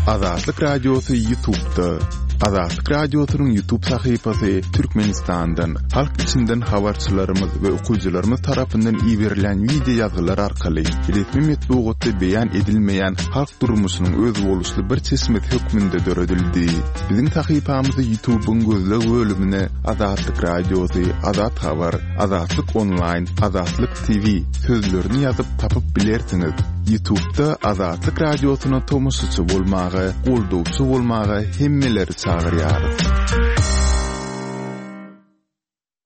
Azatlyk Radiosy Ýutubda. Azatlyk Radiosynyň Ýutub sahypasy Türkmenistandan, halk içinden habarçylarymyz we okyjylarymyz tarapyndan iberilýän wideo ýazgylar arkaly resmi metbugatda beýan edilmeýän halk durmuşynyň özboluşly bir çeşmesi hökmünde döredildi. Biziň sahypamyzy Ýutubyň gözleg bölümine Azatlyk Radiosy, Azat Habar, Azatlyk Onlaýn, Azatlyk TV sözlerini ýazyp tapyp bilersiňiz. Ýutubda Azatlyk Radiosyna tomaşaçy bolmaga, goldawçy bolmaga hemmeleri çagyrýarys.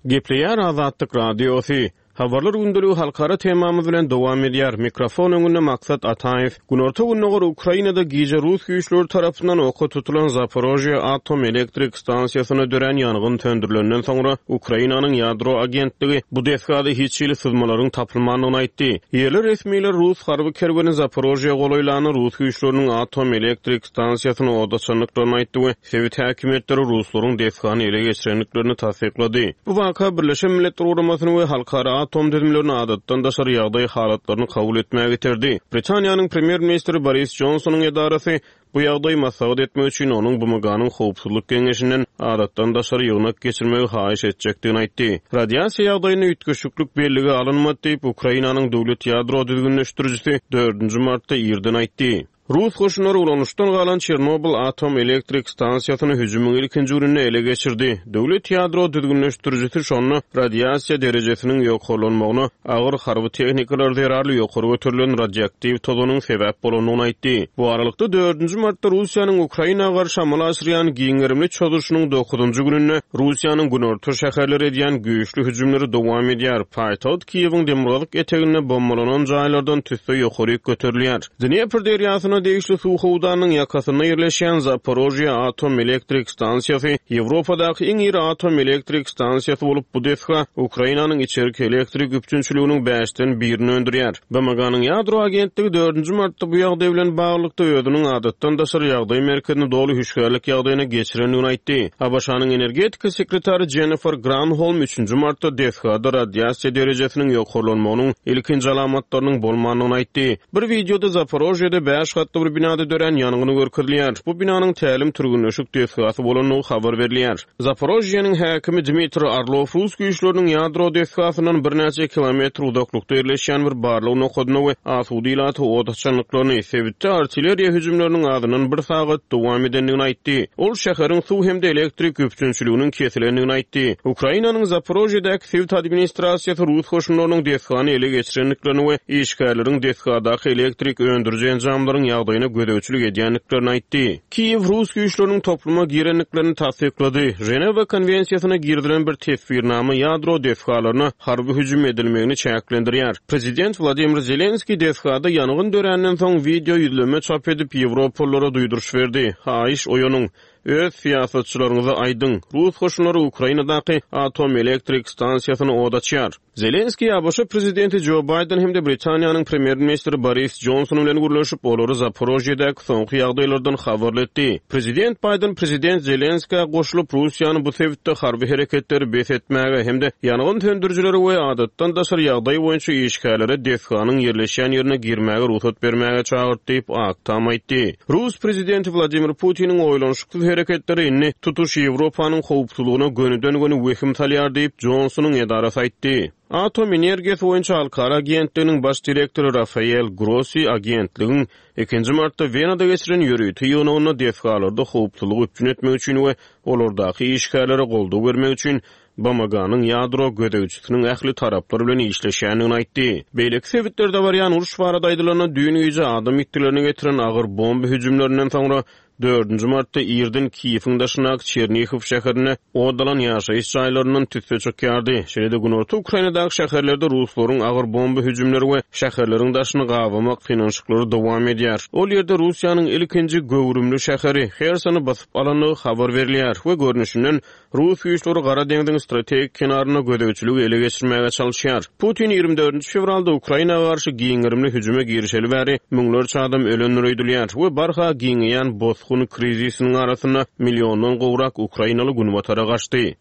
Gepleýär Azatlyk Radiosy. Habarlar gündeligi halkara temamyz bilen dowam edýär. Mikrofon öňünde Maksat Ataýew. Günorta-gündogar Ukrainada gije rus güýçleri tarapyndan oka tutulan Zaporožýe atom elektrik stansiýasynda dörän ýangyn söndürilenden soňra, Ukrainanyň ýadro agentligi bu desgada hiç hili syzmalaryň tapylmandygyny aýtdy. Ýerli resmiler rus harby kerweni Zaporožýe golaýlanda rus güýçleriniň atom elektrik stansiýasyny ot açandyklaryny aýtdy we sebit häkimiýetleri ruslaryň desgany ele geçirendiklerini tassyklady. Bu waka Birleşen Milletler Guramasyny we halkara atom düzümlerini adatdan daşary ýagdaý halatlaryny kabul etmäge iterdi. Britaniýanyň premýer-ministri Boris Jonsonyň edarasy bu ýagdaýy maslahat etmek üçin onuň BMG-niň Howpsuzlyk Geňeşinden adatdan daşary ýygnak geçirmegi haýyş etjekdigini aýtdy. Radiasiýa ýagdaýynda üýtgeşiklik bellige alynmady diýip, Ukrainanyň döwlet ýadro düzgünleşdirijisi dördünji martda irden aýtdy. Rus goşunlary ulanyşdan galan Çernobyl atom elektrik stansiýasyny hüjümiň ilkinji gününde ele geçirdi. Döwlet ýadro düzgünleşdirijisi şonda radiasiýa derejesiniň ýokarlanmagyna agyr harby tehnikalar zerarly ýokary göterilen radioaktiw tozanyň sebäp bolandygyny aýtdy. Bu aralykda, dördünji martda Russiýanyň Ukraina garşy amala aşyrýan giň gerimli çozuşynyň dokuzynjy gününde Russiýanyň günorta şäherleri edýän güýçli hüjümleri dowam edýär. Paýtagt Kiýewiň demirgazyk eteginde bombalanan jaýlardan tüsse ýokaryk göterilýär. Dnepr derýasyna degişli suw howdanynyň ýakasynda ýerleşýän Zaporožýe atom elektrik stansiýasy Ýewropadaky iň iri atom elektrik stansiýasy bolup, bu desga Ukrainanyň içerki elektrik üpjünçiliginiň bäşden birini öndürýär. BMG-niň Ýadro agentligi dördünji martda bu ýagdaý bilen baglylykda özüniň adatdan daşary ýagdaý merkezini doly hüşgärlik ýagdaýyna geçirendigini aýtdy. ABŞ-nyň energetika sekretary Jennifer Granholm üçünji martda desgada radiasiýa derejesiniň ýokarlanmagynyň ilkinji alamatlarynyň bolmandygyny aýtdy. Bir wideoda Zaporožýede bäş gatly bir binada dörän ýangyn görkezilýär. Bu binanyň tälim-türgenleşik desgasy bolandygy habar berilýär. Zaporožýeniň häkimi Dmitriý Orlow rus güýçleriniň ýadro desgasyndan birnäçe kilometr uzaklykda ýerleşýän bir barlag nokadyna we asuda ilata ot açandyklaryny, sebitde artilleriýa hüjümleriniň azyndan bir sagat dowam edendigini aýtdy. Ol şäheriň suw hem-de elektrik üpjünçiliginiň kesilendigini aýtdy. Ukrainanyň Zaporožýedäki Sebit administrasiýasy rus goşunlarynyň desgany ele geçirendiklerini we işgärleriň desgadaky elektrik öndüriji enjamlaryň ýagdaýyna gözegçilik edýändiklerini aýtdy. Kiýew rus güýçleriniň topluma girendiklerini tassyklady. Ženewa konwensiýasyna girizilen bir teswirnama ýadro desgalaryna harby hüjüm edilmegini çäklendirýär. Prezident Wladimir Zelenskiý desgada ýangyn döränden soň wideo ýüzlenme çap edip, ýewropalylara duýduryş berdi, Haýyş, oýanyň! Öz syýasatçylaryňyza aýdyň, rus goşunlary Ukrainadaky atom elektrik stansiýasyna od açýar. Zelenskiý ABŞ prezidenti Jo Baýden hem-de Britaniýanyň premýer-ministri Boris Jonson bilen gürleşip, olary Zaporožýedäki soňky ýagdaýlardan habarly etdi. Prezident Baýden prezident Zelenskä goşulyp, Russiýany bu sebitde harby hereketleri bes etmäge hem-de ýangyn söndürijilere we adatdan daşary ýagdaý boýunça işgärlere desganyň ýerleşýän ýerine girmäge rugsat bermäge çagyrdy diýip, Ak Tam aýtdy. Rus prezidenti Wladimir Putiniň oýlanyşyksyz hereketleri indi tutuş Ýewropanyň howpsuzlygyna gönüden-göni wehim salýar diýip, Jonsonyň edarasy aýtdy. Atom energiýasy boýunça halkara agentliginiň baş direktory Rafael Grossi agentligiň ikinji martda Wenada geçiren ýörite ýygnagynda desgalarda howpsuzlygy üpjün etmek üçin we olardaky işgärlere goldaw bermek üçin BMG-niň ýadro gözegçisiniň ähli taraplar bilen işleşýändigini aýtdy. Beýleki sebitlerde barýan uruş barada aýdylanda, düýn gije adam ýitgilerine getiren agyr bomba hüjümlerinden soňra, dördünji martda irden Kiýewiň daşyndaky Çernihow şäherinde ot alan ýaşaýyş jaýlaryndan tüsse çykýardy. Şeýle-de günorta Ukrainadaky şäherlerde ruslaryň agyr bomba hüjümleri we şäherleriň daşyny gabamak synanyşyklary dowam edýär. Ol ýerde Russiýanyň ilkinji göwrümli şäheri Hersony basyp alandygy habar berilýär we görnüşinden, Rus güýçleri Gara deňziň strategik kenarynda gözegçiligi ele geçirmäge çalyşýar. Putin 24 fewralda Ukraina garşy giň gerimli hüjüme girişeli bäri müňlerçe adam ölendir öýdülýär we barha giňeýän bosgun krizisiniň arasynda milliondan gowrak ukrainaly günbatara gaçdy.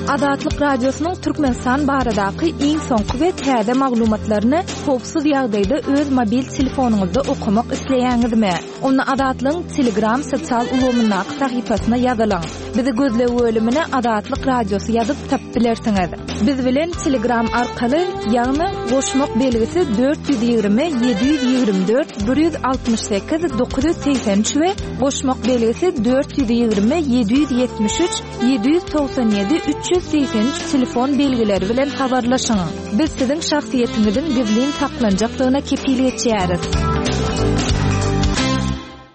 Azatlyk Radiosynyň Türkmenistan baradaky iň soňky we täze maglumatlaryny howpsuz ýagdaýda öz mobil telefonyňyzda okamak isleýäňizmi? Onda Azatlygyň Telegram sosial ulgamyndaky sahypasyna ýazylyň. Bizi gözleg bölümine Azatlyk Radiosy ýazyp tapyp bilersiňiz. Biz bilen Telegram arkaly, ýagny goşmak belgisi 420 724 168 983 we goşmak belgisi 420 773 797 383 telefon belgileri bilen habarlaşyň. Biz siziň şahsyýetiňiziň gizlin saklanjakdygyna kepil geçýäris.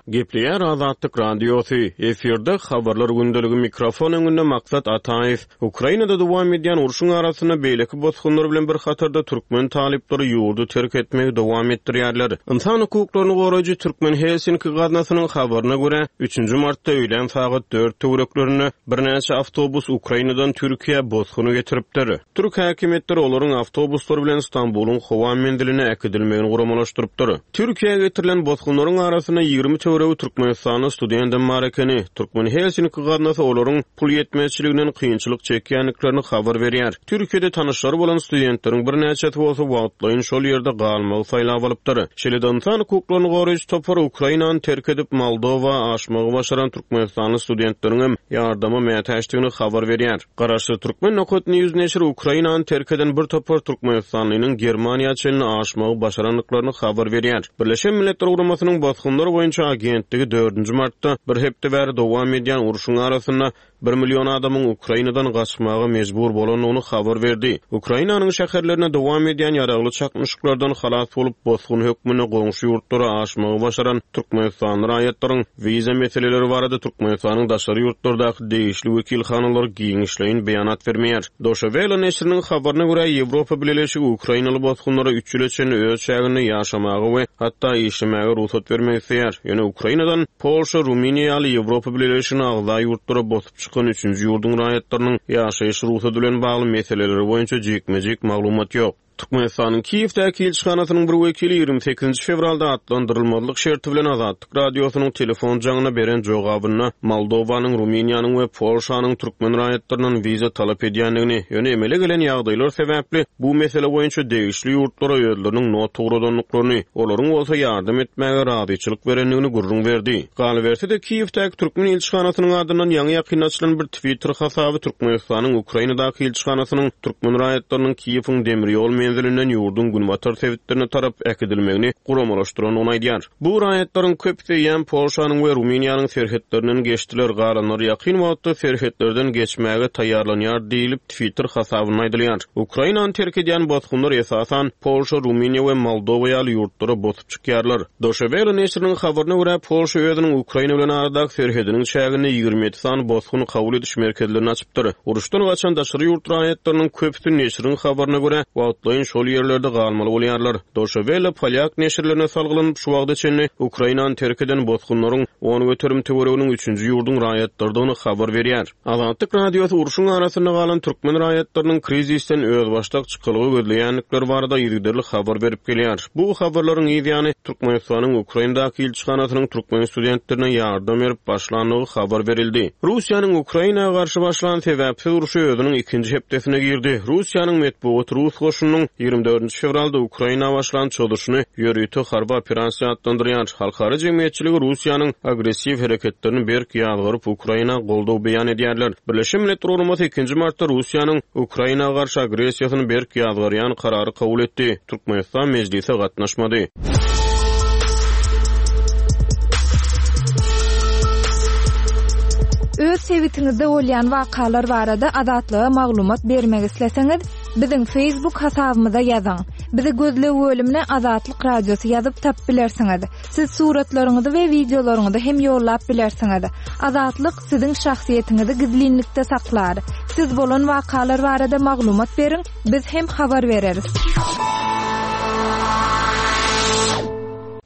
Gepleýär Azatlyk Radiosy, efirde Habarlar gündeligi mikrofon öňünde Maksat Ataýew. Ukrainada dowam edýän urşuň arasynda beýleki bosgunlar bilen bir hatarda türkmen talyplary ýurdy terk etmegi dowam etdirýärler. Ynsan hukuklaryny goraýjy Türkmen Helsinki gaznasynyň habaryna görä, üçünji martda öýlän sagat dört töwereklerinde birnäçe awtobus Ukrainadan Türkiýä bosguny getiripdir. Türk häkimiýetleri olaryň awtobuslar bilen Stambulyň howa menziline äkidilmegini guramalaşdyrypdyr. Türkiýä getirilen bosgunlaryň arasynda 20 töweregi türkmenistanly studendem bar ekeni. Türkmen Helsinki gaznasy olaryň pul ýetmezçiliginden kynçylyk çekýändiklerini habar berýär. Türkiýede tanyşlary bolan studentleriň birnäçesi bolsa wagtlaýyn şol ýerde galmagy saýlap alypdyr. Şeýle-de ynsan hukuklaryny goraýjy topar Ukrainany terk edip Moldowa aşmagy başaran türkmenistanly studentleriňem ýardama mätäçdigini habar berýär. Garaşsyz Türkmen Nokat News neşiri Ukrainany terk eden bir topar türkmenistanlynyň Germaniýa çenli aşmagy başarandyklaryny habar berýär. Birleşen Milletler Guramasynyň Bosgunlar boýunça agentligi dördünji martda bir hepde bäri dowam edýän urşuň arasynda bir million adamyň Ukrainadan gaçmaga mejbur bolandygyny habar berdi. Ukrainanyň şäherlerinde dowam edýän ýaragly çaknyşyklardan halas bolup, bosgun hökmünde goňşy ýurtlara aşmagy başaran türkmenistanly raýatlaryň Wiza meseleleri barada Türkmenistanyň daşary ýurtlardaky degişli wekilhanalary giňişleýin beýanat bermeýär. Doşe Wele neşiriniň habaryna görä, Ýewropa Bileleşigi ukrainaly bosgunlara üç ýyla çenli öz çäginde ýaşamaga we hatda işlemäge rugsat bermek isleýär. Ýöne Ukrainadan Polşa, Rumyniýa ýaly Ýewropa Bileleşigine agza ýurtlara bosup çykan üçünji ýurduň raýatlarynyň ýaşaýyş rugsady bilen bagly meseleleri boýunça jikme-jik maglumat ýok. Türkmenistanyň Kiýewdäki ilçihanasynyň bir wekili 28-nji fewralda atlandyrylmazlyk şerti bilen Azatlyk Radiosynyň telefon jaňyna beren jogabynda Moldowanyň, Rumyniýanyň we Polşanyň türkmen raýatlaryndan wiza talap edýändigini, ýöne emele gelen ýagdaýlar sebäpli bu mesele boýunça degişli ýurtlara özleriniň not ugradandyklaryny, olaryň bolsa ýardam etmäge razyçylyk berendigini gürrüň berdi. Galyberse-de, Kiýewdäki türkmen ilçihanasynyň adyndan ýaňy-ýakynda açylan bir Twitter hasaby Türkmenistanyň Ukrainadaky ilçihanasynyň türkmen raýatlarynyň Kiýewiň demir ýol menzilinden ýurduň günbatar sebitlerine tarap äkidilmegini guramalaşdyrandygyny aýdýar. Bu raýatlaryň köpüsi eýýäm Polşanyň we Rumyniýanyň serhetlerinden geçdiler, galanlary ýakyn wagtda serhetlerden geçmäge taýýarlanýar diýlip, Twitter hasabynda aýdylýar. Ukrainany terk edýän bosgunlar esasan Polşa, Rumyniýa we Moldowa ýaly ýurtlara bosup çykýarlar. Doşe Wele neşiriniň habaryna görä, Polşa özüniň Ukraina bilen aradaky serhediniň çäginde 27 sany bosgun kabul ediş merkezlerini açypdyr. Uruşdan gaçan daşary ýurt raýatlarynyň köpüsi, neşiriň habaryna görä, wagtlaýyn şol ýerlerde galmaly bolýarlar. Doşe Wele polýak neşirlerine salgylanyp, şu wagta çenli Ukrainany terk eden bosgunlaryň 10% töwereginiň üçünji ýurduň raýatlarydygyny habar berýär. Azatlyk Radiosy urşuň arasynda galan türkmen raýatlarynyň krizisden özbaşdak çykalga gözleýändikleri barada yzygiderli habar berip gelýär. Bu habarlaryň yz ýany, Türkmenistanyň Ukrainadaky ilçihanasynyň türkmen studentlerine ýardam berip başlandygy habar berildi. Russiýanyň Ukraina garşy başlan sebäpsiz urşy özüniň ikinji hepdesine girdi. Russiýanyň metbugaty rus goşunynyň 24 fewralda Ukraina başlan çozuşyny ýörite harby operasiýa atlandyrýar. Halkara jemgyýetçiligi Russiýanyň agressiw hereketlerini berk ýazgaryp, Ukraina goldaw beýan edýärler. Birleşen Milletler Guramasy ikinji martda Russiýanyň Ukraina garşy agressiýasyny berk ýazgarýan karary kabul etdi. Türkmenistan mejlise gatnaşmady. Öz sebitiňizde bolýan wakalar barada Azatlyga maglumat bermek isleseňiz, biziň Facebook hasabymyza ýazyň. Bizi gözleg bölümine Azatlyk Radiosy ýazyp tapyp bilersiňiz. Siz suratlaryňyzy we wideolaryňyzy hem ýollap bilersiňiz. Azatlyk siziň şahsyýetiňizi gizlinlikde saklar. Siz bolan wakalar barada maglumat beriň, biz hem habar bereris.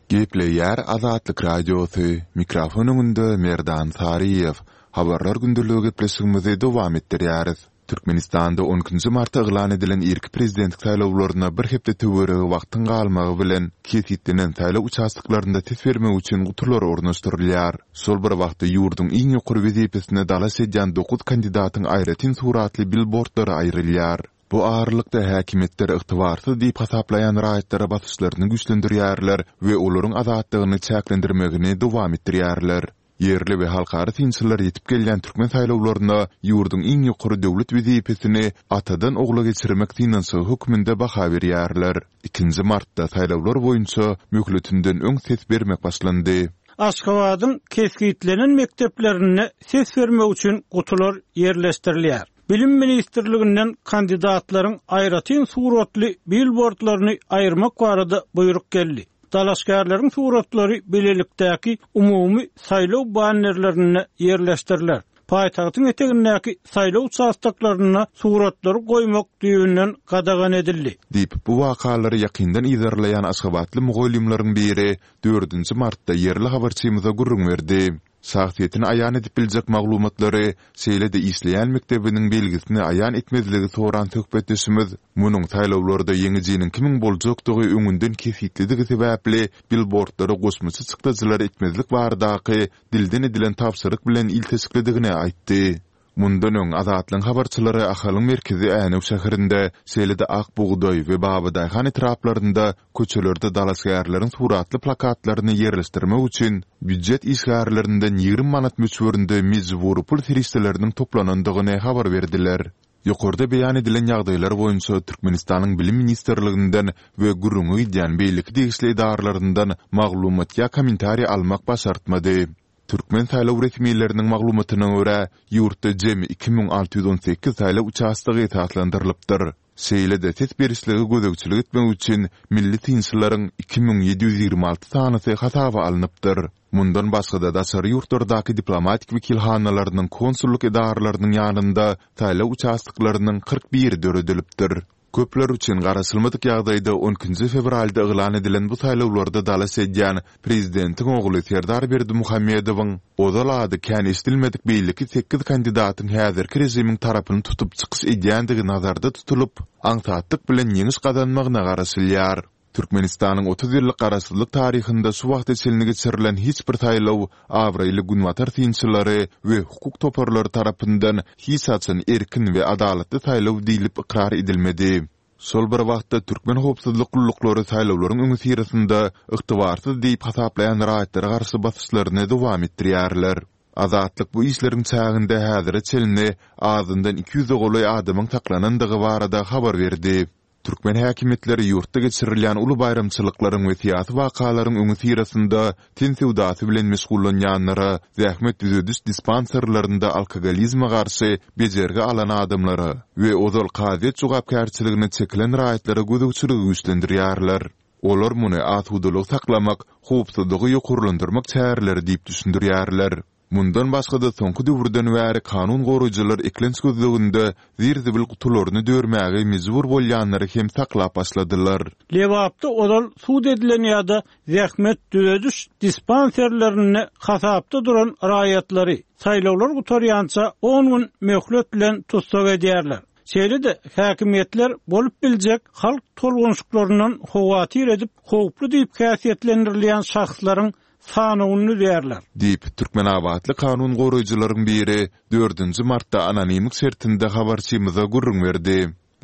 Gepleýär Azatlyk Radiosy, mikrofon öňünde Merdan Saryýew. Habarlar gündeligi gepleşigimizi dowam etdirýäris. Türkmenistanda on ikinji martda yglan edilen irki prezidentlik saýlawlaryna bir hepde töweregi wagtyň galmagy bilen, kesgitlenen saýlaw uçastoklarynda ses bermek üçin gutular ornaşdyrylýar. Şol bir wagtda ýurduň iň ýokary wezipesine dalaş edýän dokuz kandidatyň aýratyn suratly bilbordlary aýrylýar. Bu aralykda häkimiýetler ygtybarsyz diýip hasaplaýan raýatlara basyşlaryny güýçlendirýärler we olaryň azatlygyny çäklendirmegini dowam etdirýärler. Ýerli we halkara synçylar ýetip gelýän türkmen saýlawlaryna ýurduň iň ýokary döwlet wezipesini atadan ogla geçirmek synanyşygy hökmünde baha berýärler. Ikinji martda saýlawlar boýunça möhletinden öň ses bermek başlandy. Aşgabadyň kesgitlenen mekdeplerinde ses bermek üçin gutular ýerleşdirilýär. Bilim ministrliginden kandidatlaryň aýratyn suratly bilbordlaryny aýyrmak barada buýruk geldi. Dalaşgärleriň suratlary bilelikdäki umumy saýlaw bannerlerinde ýerleşdiriler. Paýtagtyň etegindäki saýlaw uçastoklarynda suratlary goýmak düýbünden gadagan edildi. Diýip, bu wakalary ýakyndan yzarlaýan aşgabatly mugallymlaryň biri dördünji martda ýerli habarçymyza gürrüň berdi. Şahsyýetini aýan edip biljek maglumatlary, şeýle-de işleýän mekdebiniň belgisini aýan etmezligi soran söhbetdeşimiz munuň saýlawlarda ýeňijiniň kimiň boljakdygy öňünden kesgitlidigi sebäpli bilbordlara goşmaça çykdajylar etmezlik baradaky dilden edilen tabşyryk bilen ilteşiklidigini aýtdy. Mundan öň, Azatlygyň habarçylary Ahalyň merkezi Änew şäherinde, şeýle-de Ak bugdaý we Babadaýhan etraplarynda köçelerde dalaşgärleriň suratly plakatlaryny ýerleşdirmek üçin býujet işgärlerinden 20 manat möçberinde mejbury pul serişdeleriniň toplanandygyny habar berdiler. Ýokarda beýan edilen ýagdaýlar boýunça Türkmenistanyň Bilim ministrliginden we gürrüňi gidýän beýleki degişli edaralaryndan maglumat ýa kommentariý almak başartmady. Türkmen saýlaw resmileriniň maglumatyna görä, ýurtda jemi 2618 saýlaw uçastogy esaslandyrylypdyr. Şeýle-de ses berişlige gözegçilik etmek üçin milli synçylaryň 2726 sanysy hasaba alnypdyr. Mundan başga-da daşary ýurtlardaky diplomatik wekilhanalarynyň konsullyk edaralarynyň ýanynda saýlaw uçastoklarynyň 41-i döredilipdir. Köpler üçin garaşylmadyk ýagdaýda on ikinji fewralda yglan edilen bu saýlawlarda dalaş edýän prezidentiň ogly Serdar Berdimuhamedowyň ozal ady kän eşidilmedik beýleki sekiz kandidatyň häzirki režimiň tarapyny tutup çykyş edýändigi nazarda tutulyp, aňsatlyk bilen ýeňiş gazanmagyna garaşylýar. Türkmenistanyň 30 ýyllyk garaşsyzlyk taryhynda şu wagta çenli geçirilen hiç bir saýlaw abraýly günbatar synçylary we hukuk toparlary tarapyndan hiç haçan erkin we adalatly saýlaw diýlip ykrar edilmedi. Şol bir wagtda türkmen howpsuzlyk gulluklary saýlawlaryň öňüsyrasynda ygtybarsyz diýip hasaplaýan raýatlara garşy basyşlaryny dowam etdirýärler. Azatlyk bu işleriň çäginde häzire çenli azyndan iki ýüze golaý adamyň saklanandygy barada habar berdi. Türkmen häkimiýetleri ýurtda geçirilýän uly baýramçylyklaryň we syýasy wakalaryň öňüsyrasynda ten söwdasy bilen meşgullanýanlara, zähmet düzediş dispanserlerinde alkogolizme garşy bejergi alan adamlara we ozal kazyýet jogapkärçiligine çekilen raýatlara gözegçiligi güýçlendirýärler. Olar muny asudalygy saklamak, howpsuzlygy ýokarlandyrmak çäreleri diýip düşündirýärler. Mundan başga-da soňky döwürden bäri kanun goraýjylar eklenç gözleginde zir-zibil gutularyny dörmäge mejbur bolýanlary hem saklap başladylar. Lebapda ozal sud edilen ýa-da zähmet düzediş dispanserlerinde hasapda duran raýatlary saýlawlar gutarýança on gün möhlet bilen tussag edýärler. Şeýle-de, häkimiýetler bolup biljek halk tolgunşyklaryndan howatyr edip, howply diýip häsiýetlendirilýän şahslaryň sanawyny düzýärler. Diýip, türkmenabatly kanun goraýjylaryň biri dördünji martda anonimlik şertinde habarçymyza gürrüň berdi.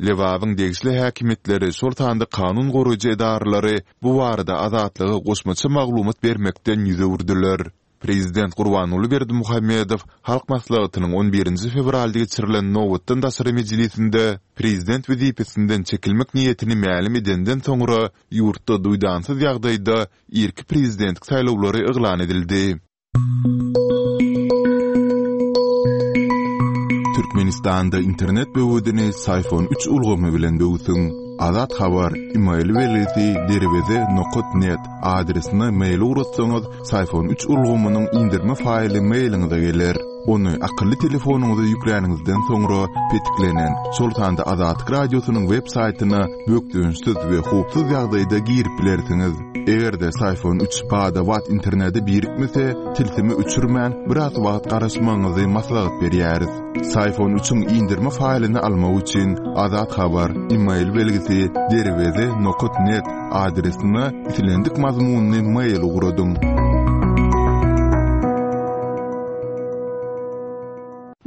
Lebabyň degişli häkimiýetleri, şol sanda kanun goraýjy edaralary bu barada Azatlyga goşmaça maglumat bermekden ýüz öwürdiler. Prezident Gurbanguly Berdimuhamedow Halk Maslahatynyň on birinji fewralda geçirilen nobatdan daşary mejlisinde prezident wezipesinden çekilmek niýetini mälim edenden soňra ýurtda duýdansyz ýagdaýda irki prezidentlik saýlawlary yglan edildi. Türkmenistanda internet böwedini Syfon üç ulgamy bilen böwsüň. Azat Habar, email belgisi derweze nokat net adresine mail ugratsaňyz, Syfon üç ulgamynyň indirme faýly mailiňize geler. Ony akylly telefonyňyza ýükläniňizden soňra petiklenen, şol sanda Azatlyk Radiosynyň web saýtyna bökdençsiz we howpsuz ýagdaýda girip bilersiňiz. Eger-de Syfon üç bada-bat internete birikmese, tilsimi öçürmän, biraz wagt garaşmagyňyzy maslahat berýäris. Syfon üçiň indirme faýlyny almak üçin Azat Habar, email belgisi derweze nokat net adresine islendik mazmunly mail ugradyň.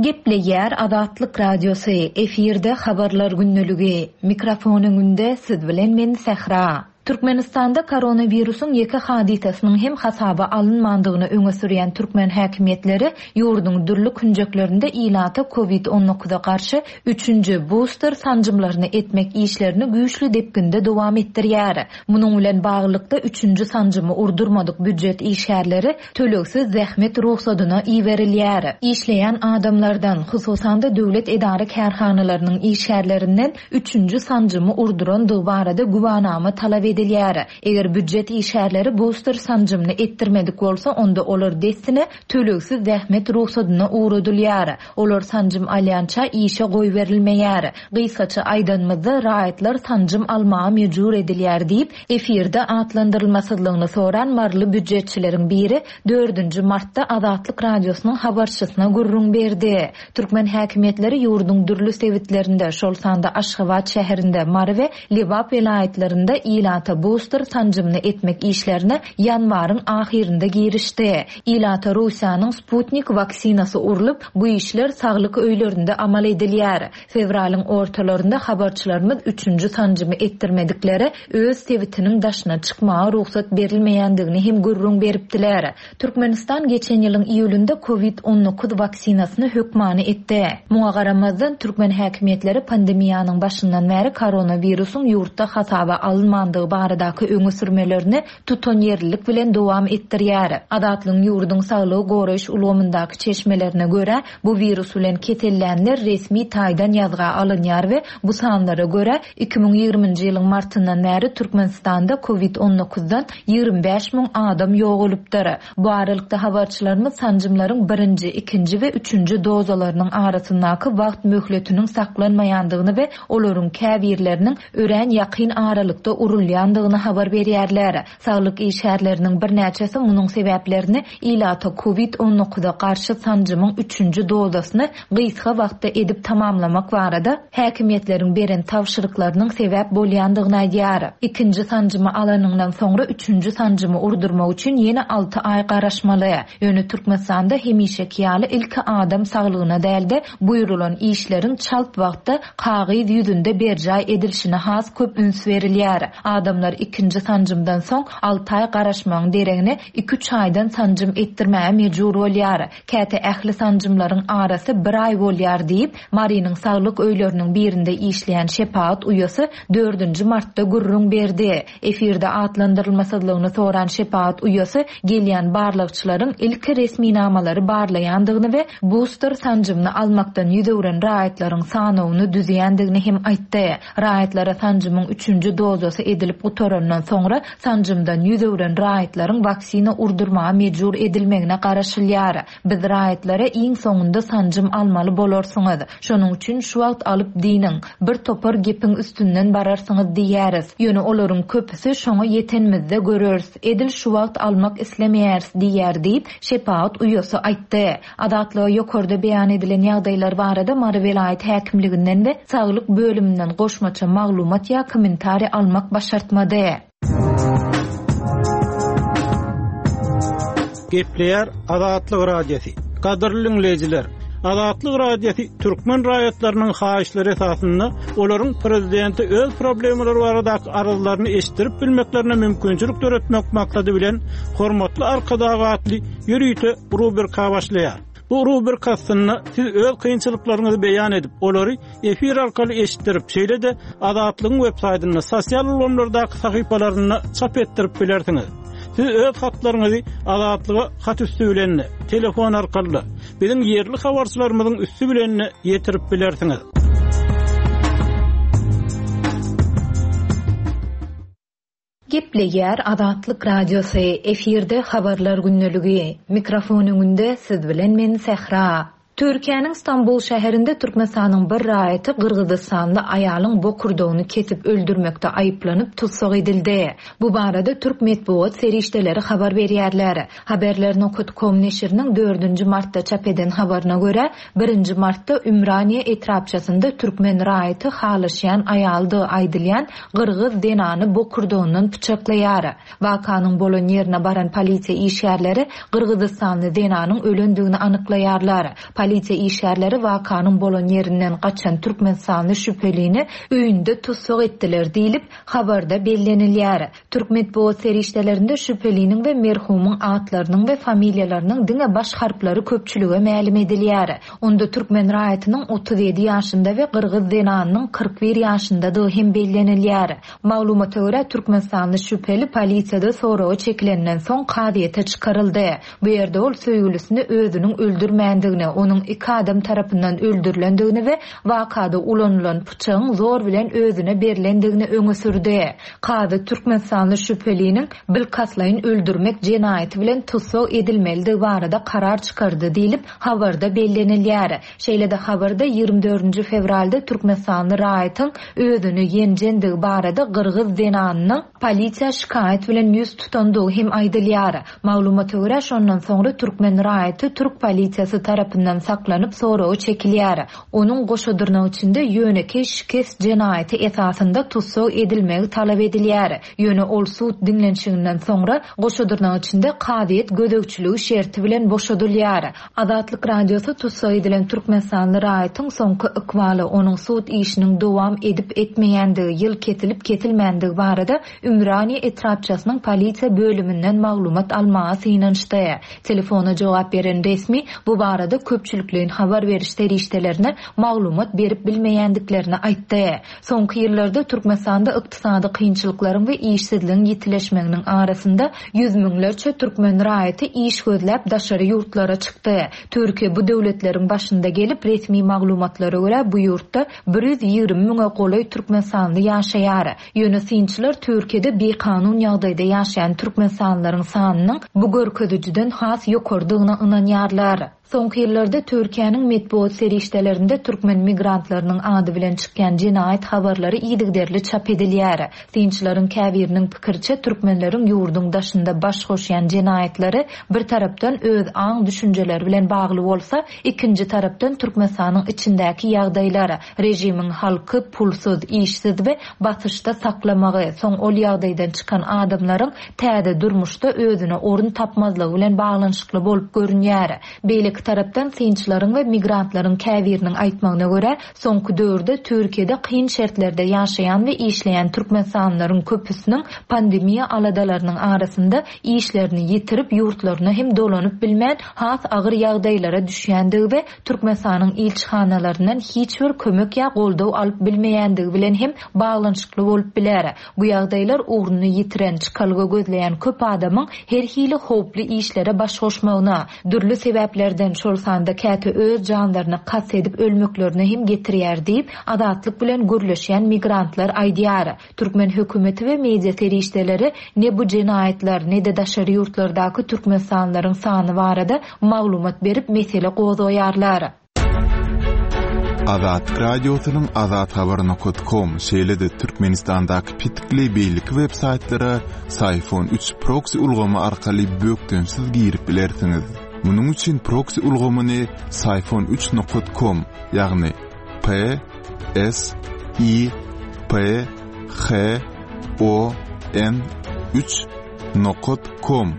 Gepleýär Azatlyk Radiosy, efirde Habarlar gündeligi. Mikrofon öňünde siz bilen men Sähra. Türkmenistanda koronawirusyň ýeke hadysasynyň hem hasaba alynmandygyny öňe sürýän türkmen häkimiýetleri ýurduň dürli künjeklerinde ilata covid on dokuza garşy üçünji, buster sanjymlaryny etmek işlerini güýçli depginde dowam etdirýär. Munuň bilen baglylykda, üçünji sanjymy urdurmadyk býujet işgärleri tölegsiz zähmet rugsadyna iberilýär. Işleýän adamlardan, hususan-da döwlet edara-kärhanalarynyň işgärlerinden üçünji sanjymy urdurandygy barada güwanama talap edilýär. Eger býujet işgärleri buster sanjymyny etdirmedik bolsa, onda olar dessine tölegsiz zähmet rugsadyna ugradylýar. Olar sanjym alýança işe goýberilmeýär. Gysgaça aýdanymyzda, raýatlar sanjym almaga mejbur edilýär diýip, efirde atlandyrylmasyzlygyny soran maryly býujetçileriň biri dördünji martda Azatlyk Radiosynyň habarçysyna gürrüň berdi. Türkmen häkimiýetleri ýurduň dürli sebitlerinde, şol sanda Aşgabat şäherinde, Mary we Lebap welaýatlarynda ilata buster sanjymyny etmek işlerine ýanwaryň ahyrynda girişdi. Ilata Russiýanyň Sputnik waksinasy urlup, bu işler saglyk öýlerinde amal edilýär. Fewralyň ortalarynda habarçylarymyz üçünji sanjymy etdirmediklere öz sebitiniň daşyna çykmaga rugsat berilmeýändigini hem gürrüň beripdiler. Türkmenistan geçen ýylyň iýulynda Covid 19 waksinasyny hökmany etdi. Muňa garamazdan, türkmen häkimiýetleri pandemiýanyň başyndan bäri koronawirusyň ýurtda hasaba alynmandygy baradaky öňe sürmelerini tutanýerlilik bilen dowam etdirýär. Azatlygyň ýurduň saglygy goraýyş ulgamyndaky çeşmelerine görä, bu wirus bilen kesellänler resmi taýdan ýazga alynýar we bu sanlara görä, 2020-nji ýylyň martyndan bäri Türkmenistanda covid on dokuzdan 25 müň adam ýogalypdyr. Bu aralykda habarçylarymyz sanjymlaryň birinji, ikinji we üçünji dozalarynyň arasyndaky wagt möhletiniň saklanmaýandygyny we olaryň käbirleriniň örän ýakyn aralykda urulýandygyny habar berýärler. Saglyk işgärleriniň birnäçesi munuň sebäplerini ilata covid on dokuza garşy sanjymyň üçünji dozasyny gysga wagtda edip tamamlamak barada häkimiýetleriň beren tabşyryklarynyň sebäp bolýandygyny aýdýar. Ikinji sanjymy alanyňdan soňra üçünji sanjymy urdurmak üçin ýene alty aý garaşmaly. Ýöne Türkmenistanda hemişeki ýaly ilki adam saglygyna däl-de, buýrulan işleriň çalt wagtda kagyz ýüzünde berjaý edilişine has köp üns berilýär. Adamlar ikinji sanjymdan soň alty aý garaşmagyň deregine iki-üç aýdan sanjym etdirmäge mejbur bolýar. Käte ähli sanjymlaryň arasy bir aý bolýar diýip, Marynyň saglyk öýleriniň birinde işleýän şepagat uýasy dördünji martda gürrüň berdi. Efirde atlandyrylmasyzlygyny soran şepagat uýasy gelýän barlagçylaryň ilki resminamalary barlaýandygyny we buster sanjymyny almakdan ýüz öwren raýatlaryň sanawyny düzýändigini hem aýtdy. Raýatlara sanjymyň üçünji dozasy edilip gutarandan soňra sanjymdan ýüz öwren raýatlaryň waksina urdurmaga mejbur edilmegine garaşylýar. Biz raýatlara iň soňunda sanjym almaly bolarsyňyz. Şonuň üçin şu wagt alyp dynyň. Bir topar gepiň üstünden bararsyňyz diýýäris. Ýöne olaryň köpüsi şoňa ýetenimizde göreris, edil şu wagt almak islemeýäris diýýär diýip, şepagat uýasy aýtdy. Azatlyga ýokarda beýan edilen ýagdaýlar barada Mary welaýat häkimliginden we saglyk bölüminden goşmaça maglumat ýa kommentariý almak başartmady. Gepleýär Azatlyk Radiosy. Gadyrly diňleýjiler, Azatlyk Radiosy türkmen raýatlarynyň haýyşlary esasynda olaryň prezidente öz problemalary baradaky arzlaryny eşitdirip bilmeklerine mümkinçilik döretmek maksady bilen Hormatly Arkadag atly ýörite rubrika başlaýar. Bu rubrika astynda siz öz kynçylyklaryňyzy beýan edip, olary efir arkaly eşitdirip, şeýle-de Azatlygyň websaýtynda, sosial ulgamlardaky sahypalarynda çap etdirip bilersiňiz. Siz öz hatlaryňyzy Azatlyga hat üsti bilen-de, telefon arkaly-da, biziň ýerli habarçylarymyzyň üsti bilen-de ýetirip bilersiňiz. Gepleýär Azatlyk Radiosy, efirde Habarlar gündeligi. Mikrofon öňünde siz bilen men Sähra. Türkiýäniň Stambul şäherinde Türkmenistanyň bir raýaty gyrgyzystanly aýalyň bokurdagyny kesip öldürmekde aýyplanyp tussag edildi. Bu barada türk metbugat serişdeleri habar berýärler. Haberler nokat kom neşiriniň dördünji martda çap eden habaryna görä, birinji martda Ümraniýe etrapçasynda türkmen raýaty halaşýan aýalydygy aýdylýan gyrgyz zenany bokurdagyndan pyçaklaýar. Wakanyň bolan ýerine baran polisiýa işgärleri gyrgyzystanly zenanyň ölendigini anyklaýarlar. Polisiýa işgärleri wakanyň bolan ýerinden gaçan türkmenistanly şübhelini öýünde tussag etdiler diýlip, habarda bellenilýär. Türk metbugat serişdelerinde şübheliniň we merhumyň atlarynyň we familiýalarynyň diňe baş harplary köpçülige mälim edilýär. Onda türkmen raýatynyň 37 ýaşynda we gyrgyz zenanynyň 41 ýaşyndadygy hem bellenilýär. Maglumata görä, türkmenistanly şübheli polisiýada soraga çekilenden soň kazyýete çykaryldy. Bu ýerde ol söýgülisini özüniň öldürmändigini, onuň iki adam tarapyndan öldürilendigini we wakada ulanylan pyçagyň zor bilen özüne berlendigini öňe sürdi. Kazy türkmenistanly şübheliniň bilkastlaýyn öldürmek jenaýaty bilen tussag edilmelidigi barada karar çykardy diýlip, habarda bellenilýär. Şeýle-de habarda 24-nji fewralda türkmenistanly raýatyň özüni ýenjendigi barada gyrgyz zenanynyň polisiýa şikaýat bilen ýüz tutandygy hem aýdylýar. Maglumata görä, şondan soňra türkmen raýaty türk polisiýasy tarapyndan saklanyp soraga çekilýär. Onuň goşa dyrnak içinde ýönekeý şikes jenaýaty esasynda tussag edilmegi talap edilýär. Ýöne ol sud diňlenişiginden soňra goşa dyrnak içinde kazyýet gözegçiligi şerti bilen boşadylýar. Azatlyk Radiosy tussag edilen türkmenistanly raýatyň soňky ykbaly, onuň sud işiniň dowam edip-etmeýändigi, ýyl kesilip-kesilmändigi barada Ümraniýe etrapçasynyň polisiýa bölüminden maglumat almaga synanyşdy. Telefona jogap beren resmi bu barada köpçülikleýin habar beriş serişdelerine maglumat berip bilmeýändiklerini aýtdy. Soňky ýyllarda Türkmenistanda ykdysady kynçylyklaryň we işsizligiň ýitileşmeginiň arasynda ýüz müňlerçe türkmen raýaty iş gözläp daşary ýurtlara çykdy. Türkiýe bu döwletleriň başynda gelip, resmi maglumatlara görä bu ýurtda 120 müňe golaý türkmenistanly ýaşaýar. Ýöne synçylar Türkiýede bikanun ýagdaýda ýaşaýan türkmenistanlylaryň sanynyň bu görkezijiden has ýokarydygyna ynanýarlar. Soňky ýyllarda Türkiýäniň metbugat serişdelerinde türkmen migrantlarynyň ady bilen çykýan jenaýat habarlary yzygiderli çap edilýär. Synçylaryň käbiriniň pikiriçe, türkmenleriň ýurduň daşynda baş goşýan jenaýatlary bir tarapdan öz aň-düşünjeleri bilen bagly bolsa, ikinji tarapdan Türkmenistanyň içindäki ýagdaýlar, režimiň halky pulsuz, işsiz we basyşda saklamagy, soň ol ýagdaýdan çykan adamlaryň täze durmuşda özüne orun tapmazlygy bilen baglanyşykly bolup görünýär. Beýleki tarapdan, synçylaryň we migrantlaryň käbiriniň aýtmagyna görä, soňky döwürde Türkiýede kyn şertlerde ýaşaýan we işleýän türkmenistanlylaryň köpüsiniň pandemiýa aladalarynyň arasynda işlerini ýitirip, ýurtlaryna hem dolanyp bilmän, has agyr ýagdaýlara düşýändigi we Türkmenistanyň ilçihanalaryndan hiç bir kömek ýa goldaw alyp bilmeýändigi bilen hem baglanyşykly bolup biler. Bu ýagdaýlar ugruny ýitiren, çykalga gözleýän köp adamyň her hili howply işlere baş goşmagyna, dürli sebäplerden, şol sanda käte öz janlaryna kast edip ölmeklerine hem getirýär diýip, Azatlyk bilen gürleşýän migrantlar aýdýar. Türkmen hökümeti we media serişdeleri ne bu jenaýatlar, ne-de daşary ýurtlardaky türkmenistanlylaryň sany barada maglumat berip mesele gozgaýarlar. Azatlyk Radiosynyň azathabar.com, şeýle-de Türkmenistandaky petikli beýleki web saýtlara Syfon 3 proksi ulgamy arkaly bökdençsiz girip bilersiňiz. Munuň üçin proksi ulgamyny syfon 3 com, ýagny P S I P H O N 3 nokat com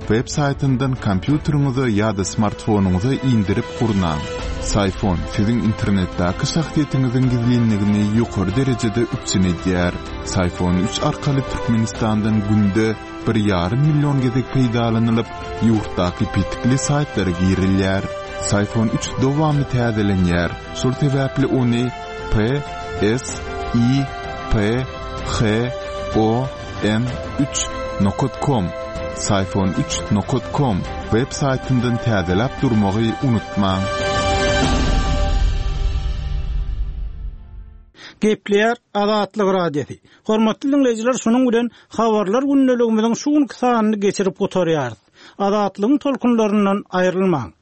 web saýtyndan kompýuteriňize ýa-da smartfonyňyza indirip gurnaň. Syfon siziň internetdäki şahsyýetiňiziň gizlinligini ýokary derejede üpjün edýär. Syfon 3 arkaly Türkmenistandan günde bir ýarym million gezek peýdalanylyp, ýurtdaky petikli saýtlara girilýär. Syfon 3 dowamly täzelenýär, şol sebäpli ony P S I P H O N 3 nokat kom Syfon 3 nokat kom web saýtyndan täzeläp durmagy unutmaň. Gepleýär Azatlyk Radiosy. Hormatly diňleýjiler, şunuň bilen Habarlar gündeligimiziň şu günki sanyny geçirip gutarýarys. Azatlygyň tolkunlaryndan aýrylmaň!